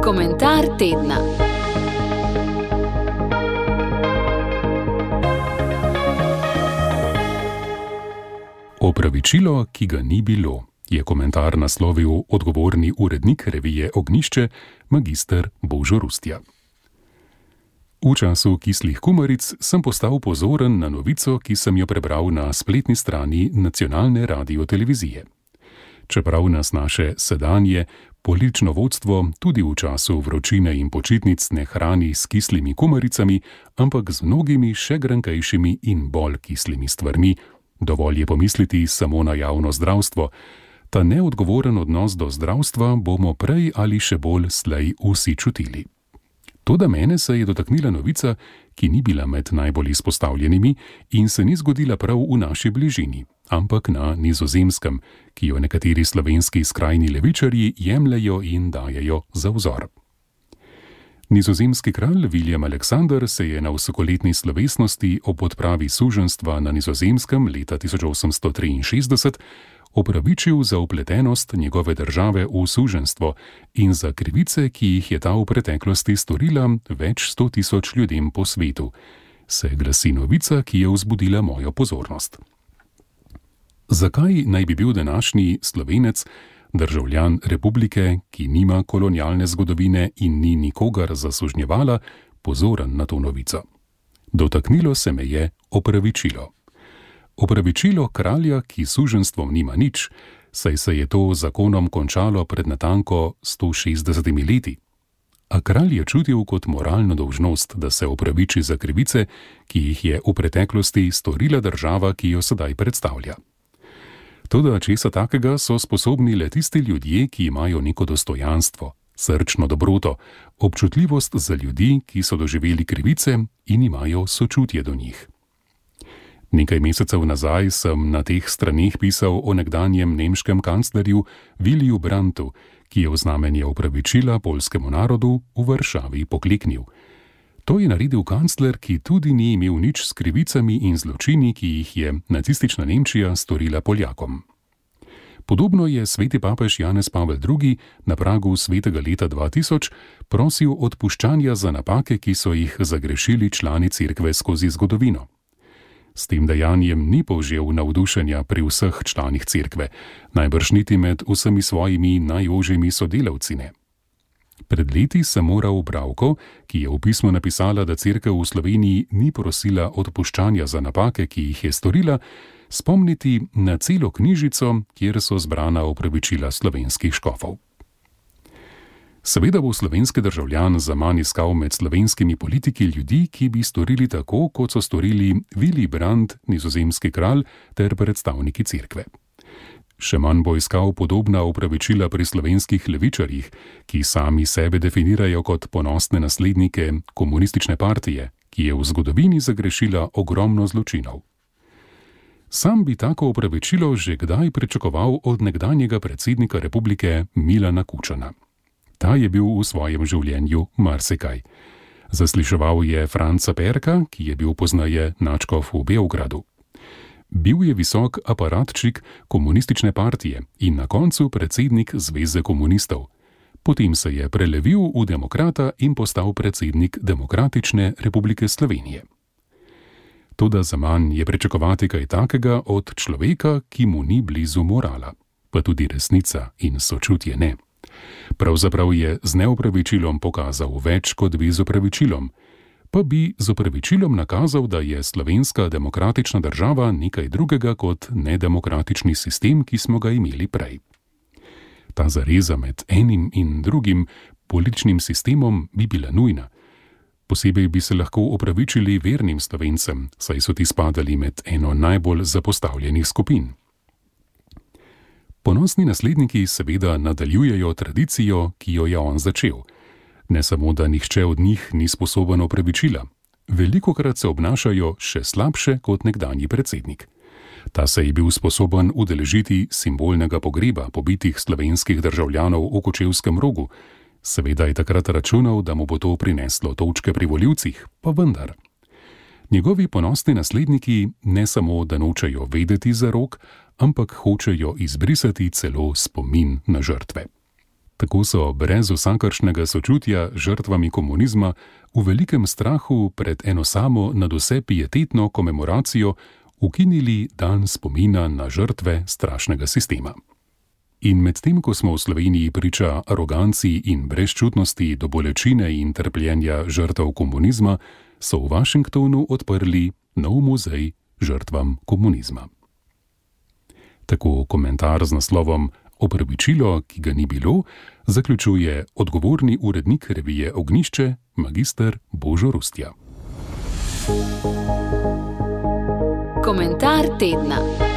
Komentar tedna. Opravičilo, ki ga ni bilo, je komentar naslovil odgovorni urednik revije Ognjišče, magister Božo Rustja. V času kislih kumaric sem postal pozoren na novico, ki sem jo prebral na spletni strani nacionalne radiotelevizije. Čeprav nas naše sedanje politično vodstvo tudi v času vročine in počitnic ne hrani s kislimi kumaricami, ampak z mnogimi še grankejšimi in bolj kislimi stvarmi, dovolj je pomisliti samo na javno zdravstvo. Ta neodgovoren odnos do zdravstva bomo prej ali še bolj slej vsi čutili. Toda mene se je dotaknila novica, ki ni bila med najbolj izpostavljenimi in se ni zgodila prav v naši bližini, ampak na Nizozemskem, ki jo nekateri slovenski skrajni levičarji jemljejo in dajejo za vzor. Nizozemski kralj William Alexander se je na vsakoletni slovesnosti ob odpravi suženjstva na Nizozemskem leta 1863 opravičil za vpletenost njegove države v suženjstvo in za krivice, ki jih je ta v preteklosti storila več 100.000 ljudem po svetu, se glasi novica, ki je vzbudila mojo pozornost. Zakaj naj bi bil današnji Slovenec, državljan republike, ki nima kolonialne zgodovine in ni nikogar zasužnjevala, pozoren na to novico? Dotaknilo se me je opravičilo. Opravičilo kralja, ki s suženjstvom nima nič, saj se je to zakonom končalo pred natanko 160 leti. A kralj je čutil kot moralno dolžnost, da se opraviči za krivice, ki jih je v preteklosti storila država, ki jo sedaj predstavlja. Toda česa takega so sposobni le tisti ljudje, ki imajo neko dostojanstvo, srčno dobroto, občutljivost za ljudi, ki so doživeli krivice in imajo sočutje do njih. Nekaj mesecev nazaj sem na teh straneh pisal o nekdanjem nemškem kanclerju Williju Brandtu, ki je v znamenje opravičila poljskemu narodu v Varšavi pokleknil. To je naredil kancler, ki tudi ni imel nič s krivicami in zločini, ki jih je nacistična Nemčija storila Poljakom. Podobno je sveti papež Janez Pavel II. Na pragu svetega leta 2000 prosil odpuščanja za napake, ki so jih zagrešili člani cerkve skozi zgodovino. S tem dejanjem ni povžel navdušenja pri vseh članih cerkve, najbrž niti med vsemi svojimi najožjimi sodelavci ne. Pred leti sem moral bralko, ki je v pismu napisala, da cerkev v Sloveniji ni prosila odpuščanja za napake, ki jih je storila, spomniti na celo knjižico, kjer so zbrana opravičila slovenskih škofov. Seveda bo slovenski državljan zaman iskal med slovenskimi politiki ljudi, ki bi storili tako, kot so storili Willy Brandt, nizozemski kralj ter predstavniki cerkve. Še manj bo iskal podobna opravičila pri slovenskih levičarjih, ki sami sebe definirajo kot ponosne naslednike komunistične partije, ki je v zgodovini zagrešila ogromno zločinov. Sam bi tako opravičilo že kdaj pričakoval od nekdanjega predsednika republike Milana Kučana. Ta je bil v svojem življenju marsikaj. Zasliševal je Franca Perka, ki je bil pozneje nadškof v Beogradu. Bil je visok aparatčik komunistične partije in na koncu predsednik Zveze komunistov. Potem se je prelevil v demokrata in postal predsednik Demokratične republike Slovenije. Toda zaman je pričakovati kaj takega od človeka, ki mu ni blizu morala, pa tudi resnica in sočutje ne. Pravzaprav je z neopravičilom pokazal več kot bi z opravičilom, pa bi z opravičilom nakazal, da je slovenska demokratična država nekaj drugega kot nedemokratični sistem, ki smo ga imeli prej. Ta zareza med enim in drugim političnim sistemom bi bila nujna. Posebej bi se lahko opravičili vernim Slovencem, saj so ti spadali med eno najbolj zapostavljenih skupin. Ponosni nasledniki seveda nadaljujejo tradicijo, ki jo je on začel. Ne samo, da nihče od njih ni sposoben opravičila, velikokrat se obnašajo še slabše kot nekdanji predsednik. Ta se je bil sposoben udeležiti simbolnega pogreba pobitih slovenskih državljanov v Kočevskem Rogu. Seveda je takrat računal, da mu bo to prineslo točke pri volivcih, pa vendar. Njegovi ponosni nasledniki ne samo, da nočejo vedeti za Rog, ampak hočejo izbrisati celo spomin na žrtve. Tako so brez vsakršnega sočutja žrtvami komunizma v velikem strahu pred eno samo nadvse pietetno komemoracijo ukinili dan spomina na žrtve strašnega sistema. In medtem, ko smo v Sloveniji priča aroganci in brezčutnosti do bolečine in trpljenja žrtev komunizma, so v Washingtonu odprli nov muzej žrtvam komunizma. Tako komentar z naslovom Opravičilo, ki ga ni bilo, zaključuje odgovorni urednik revije Ognjišče, magister Božo Rustja. Komentar tedna.